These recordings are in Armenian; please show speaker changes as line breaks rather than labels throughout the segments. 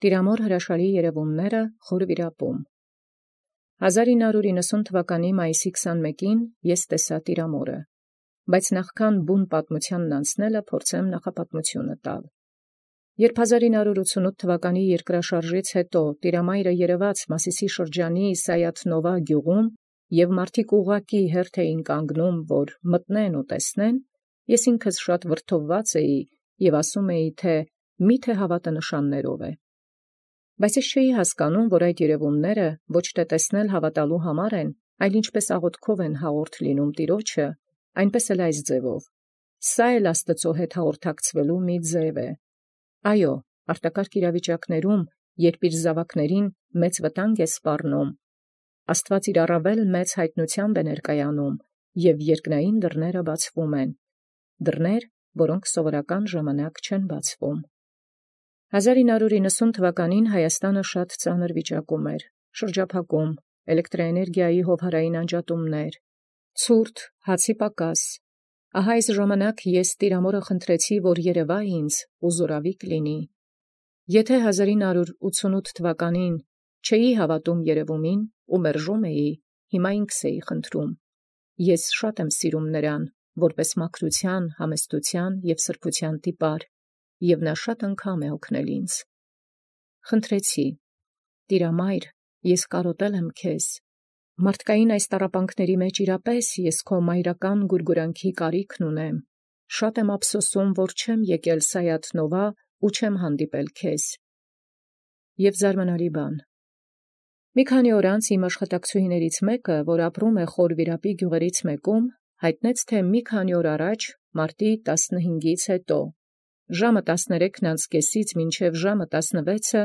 Տիրամոր հրաշալի երևումները խոր վիրապում։ 1990 թվականի մայիսի 21-ին ես տեսա Տիրամորը, բայց նախքան բուն պատմությանն անցնելը փորձեմ նախապատմությունը տալ։ Երբ 1988 թվականի երկրաշարժից հետո Տիրամայրը երևաց Մասիսի շրջանի Սայաթ-Նովա գյուղում և մարդիկ ուղղակի հերթ էին կանգնում, որ մտնեն ու տեսնեն, ես ինքս շատ վրդովված էի և ասում էի, թե միթե հավատը նշաններով է։ Բայց ես չէի հասկանում, որ այդ երևումները ոչ թե տեսնել հավատալու համար են, այլ ինչպես աղոթքով են հաղորդ լինում Տիրոջը, այնպես էլ այս ձևով։ Սա էլ Աստծո հետ հաղորդակցվելու մի ձև է։ Այո, արտակարգ իրավիճակներում, երբ իր զավակներին մեծ վտանգ է սպառնում, Աստված իր առավել մեծ հայտնությամբ է ներկայանում, և երկնային դռները բացվում են, դռներ, որոնք սովորական ժամանակ չեն բացվում։ 1990 թվականին Հայաստանը շատ ծանր վիճակում էր, շրջափակում, էլեկտրաէներգիայի հովհարային անջատումներ, ցուրտ, հացի պակաս։ Ահա այս ժամանակ ես Տիրամորը խնդրեցի, որ երևա ինձ ու զորավիք լինի։ Եթե 1988 թվականին չէի հավատում երևումին ու մերժում էի, հիմա ինքս էի խնդրում։ Ես շատ եմ սիրում նրան, որպես մաքրության, համեստության և սրբության տիպար, և նա շատ անգամ է օգնել ինձ։ Խնդրեցի. Տիրամայր, ես կարոտել եմ քեզ։ Մարդկային այս տառապանքների մեջ իրապես ես քո մայրական գուրգուրանքի կարիքն ունեմ։ Շատ եմ ափսոսում, որ չեմ եկել Սայաթ-Նովա ու չեմ հանդիպել քեզ։ Եվ զարմանալի բան. մի քանի օր անց իմ աշխատակցուհիներից մեկը, որ ապրում է Խորվիրապի գյուղերից մեկում, հայտնեց, թե մի քանի օր առաջ, մարտի 15-ից հետո, ժամը 13:30-ից մինչև ժամը 16-ը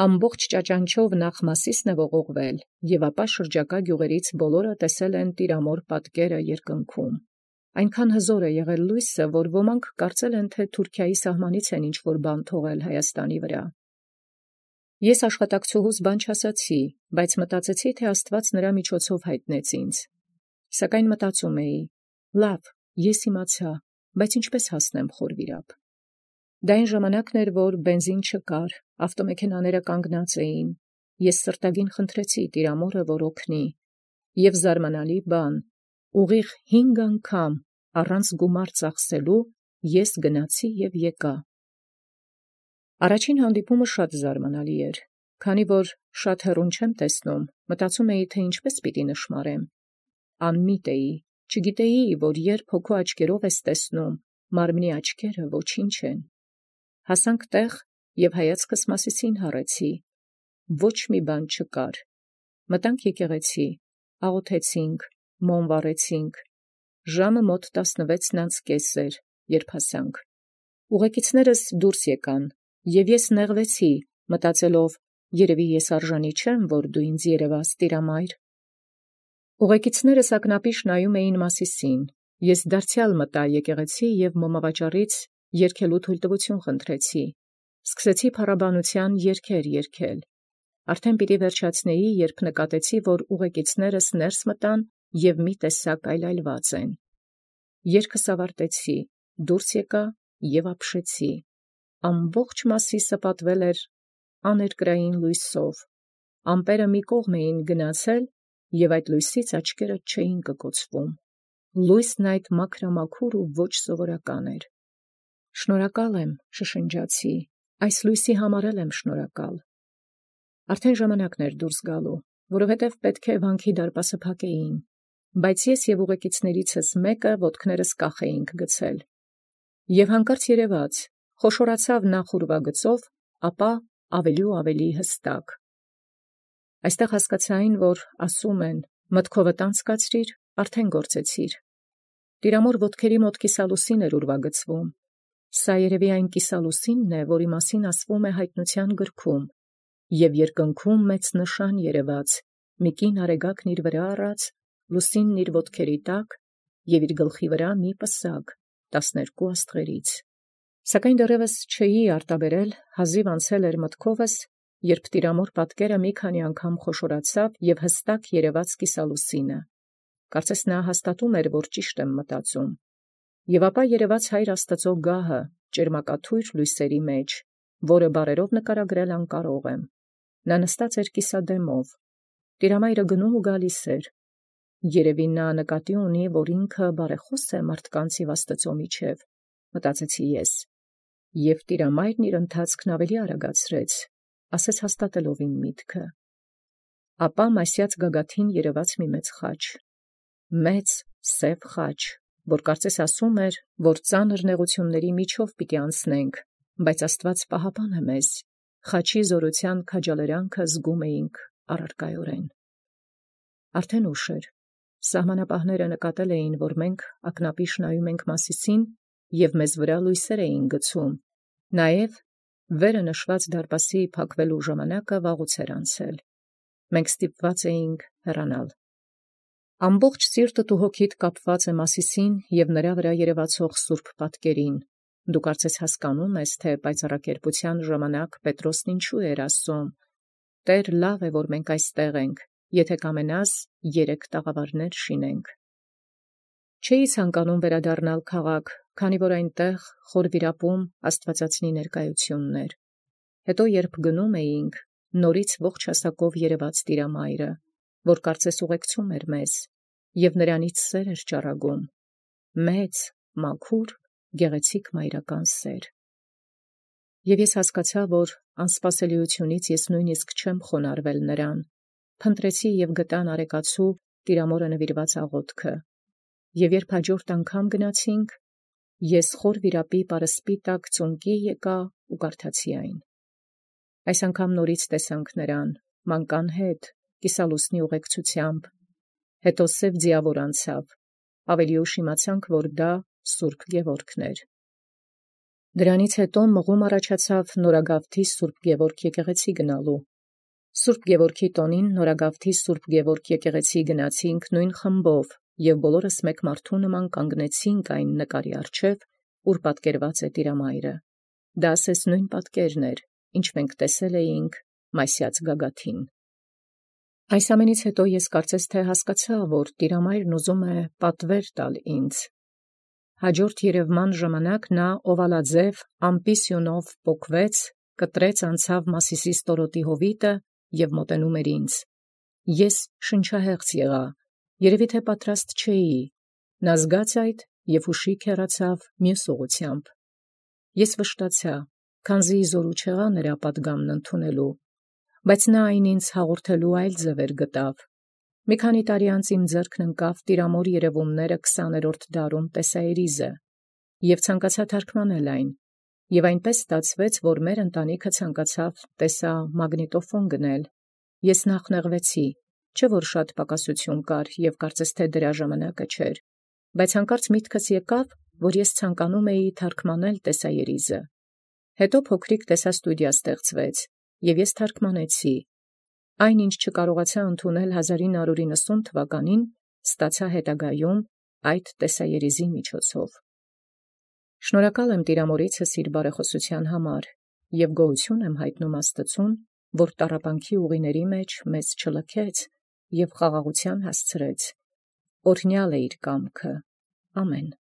ամբողջ ճաճանչով նախ Մասիսն է ողողվել, և ապա շրջակա գյուղերից բոլորը տեսել են Տիրամոր պատկերը երկնքում։ Այնքան հզոր է եղել լույսը, որ ոմանք կարծել են, թե Թուրքիայի սահմանից են ինչ-որ բան թողել Հայաստանի վրա։ Ես աշխատակցուհուս բան չասացի, բայց մտածեցի, թե Աստված նրա միջոցով հայտնեց ինձ։ Սակայն մտածում էի. լավ, ես իմացա, բայց ինչպես հասնեմ Խորվիրապ։ Դա այն ժամանակն էր, որ բենզին չկար, ավտոմեքենաները կանգնած էին։ Ես սրտագին խնդրեցի Տիրամորը, որ օգնի։ Եվ զարմանալի բան, ուղիղ 5 անգամ առանց գումար ծախսելու ես գնացի և եկա։ Առաջին հանդիպումը շատ զարմանալի էր, քանի որ շատ հեռուն չեմ տեսնում, մտածում էի, թե ինչպես պիտի նշմարեմ։ Անմիտ էի, չգիտեի, որ երբ հոգու աչքերով ես տեսնում, մարմնի աչքերը ոչինչ են։ Հասանք տեղ և հայացքս Մասիսին հառեցի։ Ոչ մի բան չկար։ Մտանք եկեղեցի, աղոթեցինք, մոմ վառեցինք։ Ժամը մոտ 16:30 էր, երբ հասանք։ Ուղեկիցներս դուրս եկան, և ես նեղվեցի, մտածելով, երևի ես արժանի չեմ, որ դու ինձ երևաս, Տիրամայր։ Ուղեկիցներս ակնապիշ նայում էին Մասիսին։ Ես դարձյալ մտա եկեղեցի և մոմավաճառից երգելու թույլտվություն խնդրեցի։ Սկսեցի փառաբանության երգեր երգել։ Արդեն պիտի վերջացնեի, երբ նկատեցի, որ ուղեկիցներս ներս մտան և մի տեսակ այլայլված են։ Երգս ավարտեցի, դուրս եկա և ապշեցի։ Ամբողջ Մասիսը պատվել էր աներկրային լույսով։ Ամպերը մի կողմ էին գնացել, և այդ լույսից աչքերդ չէին կկոցվում։ Լույսն այդ մաքրամաքուր ու ոչ սովորական էր։ Շնորհակալ եմ, շշնջացի, այս լույսի համար էլ եմ շնորհակալ։ Արդեն ժամանակն էր դուրս գալու, որովհետև պետք է վանքի դարպասը փակեին, բայց ես և ուղեկիցներիցս մեկը ոտքներս կախ էինք գցել։ Եվ հանկարծ երևաց, խոշորացավ նախ ուրվագծով, ապա ավելի ու ավելի հստակ։ Այստեղ հասկացա, որ ասում են. մտքովդ անցկացրիր, արդեն գործեցիր։ Տիրամոր ոտքերի մոտ կիսալուսին էր ուրվագծվում։ Սա երևի այն կիսալուսինն է, որի մասին ասվում է հայտնության գրքում, և երկնքում մեծ նշան երևաց, մի կին արեգակն իր վրա առած, լուսինն իր ոտքերի տակ, և իր գլխի վրա մի պսակ 12 աստղերից։ Սակայն դեռևս չէի արտաբերել, հազիվ անցել էր մտքովս, երբ Տիրամոր պատկերը մի քանի անգամ խոշորացավ և հստակ երևաց կիսալուսինը։ Կարծես նա հաստատում էր, որ ճիշտ եմ մտածում։ Եվ ապա երևաց Հայր Աստծո գահը ճերմակաթույր լույսերի մեջ, որը բարերով նկարագրել անկարող եմ։ Նա նստած էր կիսադեմով, տիրամայրը գնում ու գալիս էր։ Երևի նա նկատի ունի, որ ինքը բարեխոս է մարդկանց և Աստծո միջև, մտածեցի ես, և տիրամայրն իր ընթացքն ավելի արագացրեց, ասես հաստատելով իմ միտքը։ Ապա մասյաց գագաթին երևաց մի մեծ սև խաչ, որ կարծես ասում էր, որ ծանր նեղությունների միջով պիտի անցնենք, բայց Աստված պահապան է մեզ, խաչի զորության քաջալերանքը զգում էինք առարկայորեն։ Արդեն ուշ էր, սահմանապահները նկատել էին, որ մենք ակնապիշ նայում ենք Մասիսին և մեզ վրա լույսեր էին գցում, նաև վերը նշված դարպասի փակվելու ժամանակը վաղուց էր անցել։ Մենք ստիպված էինք հեռանալ։ Ամբողջ սիրտդ ու հոգիդ կապված է Մասիսին և նրա վրա երևացող սուրբ պատկերին։ Դու կարծես հասկանում ես, թե պայծառակերպության ժամանակ Պետրոսն ինչու էր ասում. «Տեր, լավ է, որ մենք այստեղ ենք, եթե կամենաս, 3 տաղավարներ շինենք»։ Չէի ցանկանում վերադառնալ քաղաք, քանի որ այնտեղ խոր վիրապում Աստվածածնի ներկայությունն էր։ Հետո երբ գնում էինք, նորից ողջ հասակով երևաց տիրամայրը, որ կարծես ուղեկցում էր մեզ, և նրանից սեր էր ճառագում, մեծ, մաքուր, գեղեցիկ մայրական սեր։ Եվ ես հասկացա, որ անսպասելիությունից ես նույնիսկ չեմ խոնարհվել նրան, փնտրեցի և գտա նարեկացու տիրամորը նվիրված աղոթքը, և երբ հաջորդ անգամ գնացինք, ես խոր վիրապի պարսպի տակ ծունկի եկա ու կարդացի այն։ Այս անգամ նորից տեսանք նրան, մանկան հետ, կիսալուսնի ուղեկցությամբ, հետո սև ձիավոր անցավ, ավելի ուշ իմացանք, որ դա Սուրբ Գևորգն էր։ Դրանից հետո մղում առաջացավ Նորագավթի Սուրբ Գևորգ եկեղեցի գնալու։ Սուրբ Գևորգի տոնին Նորագավթի Սուրբ Գևորգ եկեղեցի գնացինք նույն խմբով և բոլորս մեկ մարդու նման կանգնեցինք այն նկարի առջև, ուր պատկերված է տիրամայրը։ Դա ասես նույն պատկերն էր, ինչ մենք տեսել էինք Մասյաց գագաթին։ Այս ամենից հետո ես կարծես թե հասկացա, որ տիրամայրն ուզում է պատվեր տալ ինձ։ Հաջորդ երևման ժամանակ նա օվալաձև ամպի սյունով պոկվեց, կտրեց անցավ Մասիսի ստորոտի հովիտը և մոտենում էր ինձ։ Ես շնչահեղձ եղա, երևի թե պատրաստ չէի։ Նա զգաց այդ և հուշիկ հեռացավ մյուս ուղղությամբ։ Ես վշտացա, քանզի զորու չեղա նրա պատգամն ընդունելու, բայց նա այն ինձ հաղորդելու այլ ձևեր գտավ։ Մի քանի տարի անց իմ ձեռքն ընկավ տիրամոր երևումները 20-րդ դարում տեսաերիզը, և ցանկացա թարգմանել այն, և այնպես ստացվեց, որ մեր ընտանիքը ցանկացավ տեսա մագնիտոֆոն գնել։ Ես նախ նեղվեցի, չէ որ շատ պակասություն կար և կարծես թե դրա ժամանակը չէր, բայց հանկարծ միտքս եկավ, որ ես ցանկանում էի թարգմանել տեսաերիզը։ Հետո փոքրիկ տեսաստուդիա ստեղծվեց, և ես թարգմանեցի։ Այն, ինչ չկարողացա ընդունել 1990 թվականին, ստացա հետագայում այդ տեսաերիզի միջոցով։ Շնորհակալ եմ տիրամորիցս իր բարեխոսության համար և գոհություն եմ հայտնում Աստծուն, որ տառապանքի ուղիների մեջ մեզ չլքեց և խաղաղության հասցրեց։ Օրհնյալ է իր կամքը։ Ամեն։